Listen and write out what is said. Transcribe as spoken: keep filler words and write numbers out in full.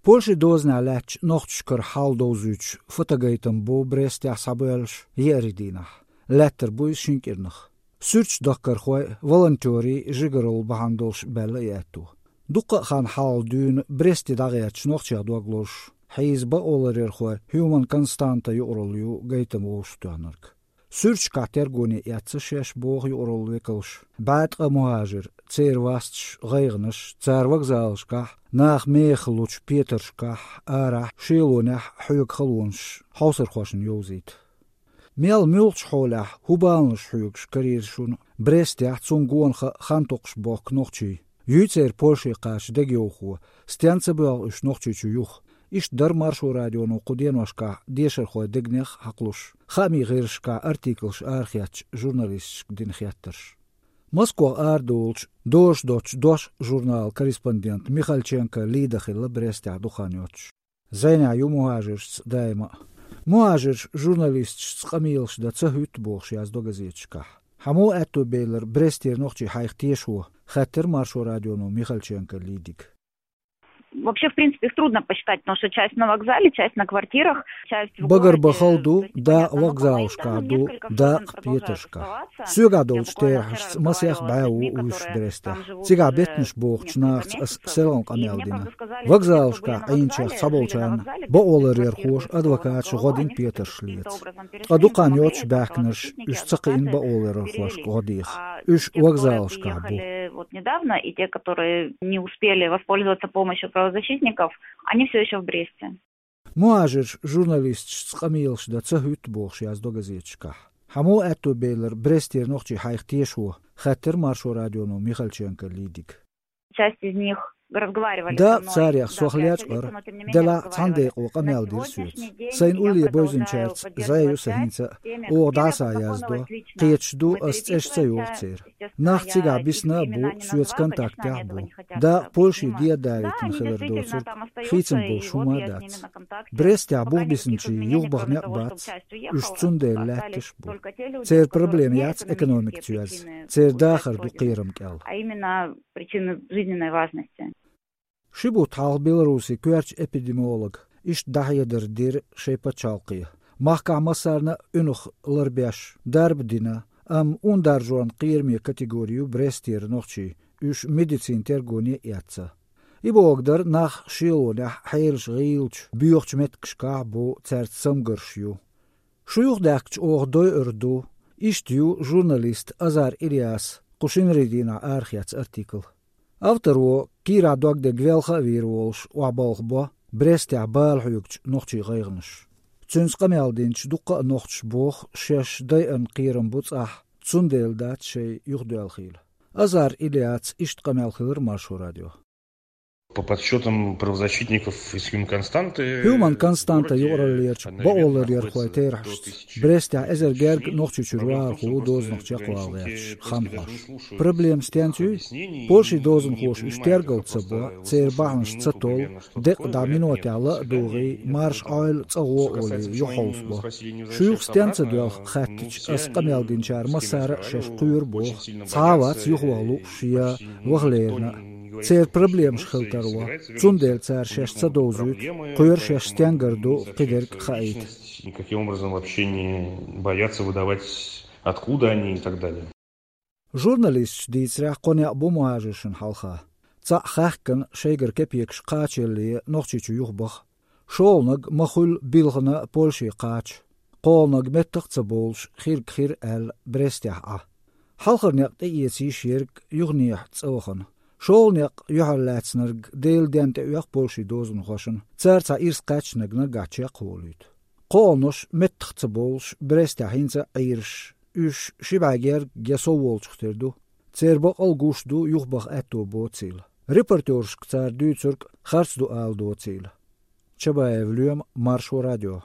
Польшин дозанехь лаьттачу нохчашкара хьал довзуьйтуш фотогайтам бу Брестехь схьабоьллуш еарин дийнахь. Лаьттар бу иза шина кӀирнах. Суьрташ дахкархой, волонтерийн жигаралла бахьана долуш баьлла и аьтто. Дуккха а хан хьалха дуьйна Бресте дӀагӀерташ нохчех дог лозуш, хьийза бакъоларъярхой Human Constanta юкъаралла ю гайтам вовшахтоьхнарг. Суьрташкахь тергоне эцна шаьш, боху юкъаралла векалша, бӀе ткъа мухӀажир, церан васташ, гӀайгӀанаш, цара вокзалашкахь, наха мехах лучу петаршкахь, арахь, шелонехь хьоьгу халонаш хьовсархошна йовзийта. Мел муьлххачу хьолехь, хӀун баланаш хьоьгуш карийра шуна Брестехь цунна гонах а хан токхуш бохку нохчий? Юй церан Польше кхача дегайовхо? Стенна ца боьлху уьш Нохчийчу юха? Иштта дара Маршо радионо кху деношкахь дешархойн дегнех а хьакхалуш, хаамийн гӀирсашкахь артиклаш арахецначу журналисташка дина хеттарш. Москох арадолучу «Дождь» доцчу «Дош» журналан корреспондент Михальченко Лида хилла Брестехь дукха хан йоццуш. Зайнехь ю мухӀажиршца даима а. МухӀажирш журналисташца къамелаш дан ца хӀуьтту бохуш яздо газеташкахь. Хьан муха аьтто белира Брестера нохчий хьайх тешо, хаьттира Маршо радионо Михальченко Лидига. Вообще, в принципе, их трудно посчитать, потому что часть на вокзале, часть на квартирах, часть в городе. Багарбан хала ду, дакъа вокзалашкахь ду, дакъа петаршкахь. Соьгахь долчу терахьашца масех бӀе ву вуьсуш Брестехь. Цигахь беттанаш бохучу нахаца ас селхана къамел дина. Вокзалашкахь Ӏийначех цхьаболчарна бакъоларъярхоша, адвокаташа гӀо дина петарш леца. Ткъа дукха хан йоццуш баьхкинарш уьш ца кхиъна бакъоларъярхошка гӀо деха. Уьш вокзалашкахь бу. Вот недавно, и те, которые не успели воспользоваться помощью правозащитников, они всё ещё в Бресте. МухӀажирш журналисташца къамелаш дан ца хӀуьтту бохуш яздо газеташкахь. Хьан муха аьтто белира Брестера нохчий хьайх тешо, хаьттира Маршо радионо Михальченко Лидига. Часть из них разговаривали со мной. Да, царех сох лечкъара, делахь цхьана декъо къамел дира соьца. Сайна улле бевзинчаьрца зӀе ю сан хӀинца а, оха дӀасаяздо, кхеташ ду, ас цӀеш ца йоху церан. Нах цигахь бисна а бу, соьца контактехь а бу. Дакъа Польше де а далийтина хилар доцург, хийцам болуш хӀума а дац. Брестехь бух бисинчийн юхабаха некъ бац, уьш цундела лаьтташ а бу. Церан проблема яц экономика цоьзза, церан дахар ду кхерам кӀел. А именно причины жизненной важности. Ши бутт хьалха Беларусин коьртачу эпидемиолога иштта дӀахьедар дира шайн пачхьалкхе. Махкахь массарна а уьнах ларбеш, дарба дина, амма ундаржорна кхераме категори ю Брестера нохчий, уьш медицинан тергоне а эцна. И бохург дара, нах шелонехь, хьелаш гӀийлачу, боьхачу меттигашкахь а бу, цаьрца цамгарш ю. Шу юхадаьхкича оха дойур ду, иштта ю журналист Азар Ильяс кху шинарин дийнахь арахецна артикл. Авторо, кийрахь дог дерг велха а вийр волуш, охьабалха бо Брестехь бала хьоьгучу нохчийн гӀайгӀанаш. Цуьнца къамел динчу дуккха а нохчаша боху, шаьш дайъарна кхерам бу цӀахь, цундела дац шайн юхадоьлхийла. Азар Ильясца иштта къамел хилира Маршо радион. По подсчётам правозащитников из Human Constante, Human Constante юкъараллерчу бакъоларъярхойн терахьашца, Брестехь эзар гергга Нохчийчуьра вахархо ву дозанах чекхвала гӀерташ, хан хьош. Проблема стенца юй? Польшин дозанхоша уьш тергалла ца бо, церан бахьанаш ца толлу, декъа дӀа минотехь ла а дугӀий, марша Ӏойла, цӀа гӀо олий, юхахьовсабо. Шу юха стенна ца доьлху хаьттича, ас къамел динчара массара а шаьш кхоьру боху, цхьа а вац юхаваха лууш я ваха лерина а. Церан проблемаш хила тарло, цундела цара шаьш ца довзуьйту, кхоьру шаьш стенгара ду кхидерг а хаийта. Никаким образом вообще не боятся выдавать, откуда они и так далее. Журналисташа дийцарехь, кхо некъ бу мухӀажиршна хьалха. Цхьаъ хаьхкина, шайгара кепекаш кхачаялле Нохчийчу юхабаха. ШолгӀаниг ма-хуьллу билхина Польше кхача. КхоалгӀаниг меттах а ца бовлуш, хирг хир аьлла, Брестехь Ӏа. Хьалхара некъ тӀеэца йиш ерг юханехьа цӀа вахана. ШолгӀа некъ юьхьарлаьцнарг Делан денна тӀеоьху Польшин дозанхошна, цара цхьа ирс кхаьчнарг наггахь чекхволуьйту. КхоалгӀанош меттах а ца бовлуш, Брестехь хӀинца а Ӏийраш, уьш ши бӀе герга я сов волчух тера ду. Церан бакъал а гуш ду, юхабаха аьтто боцийла. Репортёршка цара дуьйцург харц ду ала доцийла. Чабаев Лоьма, Маршо радио.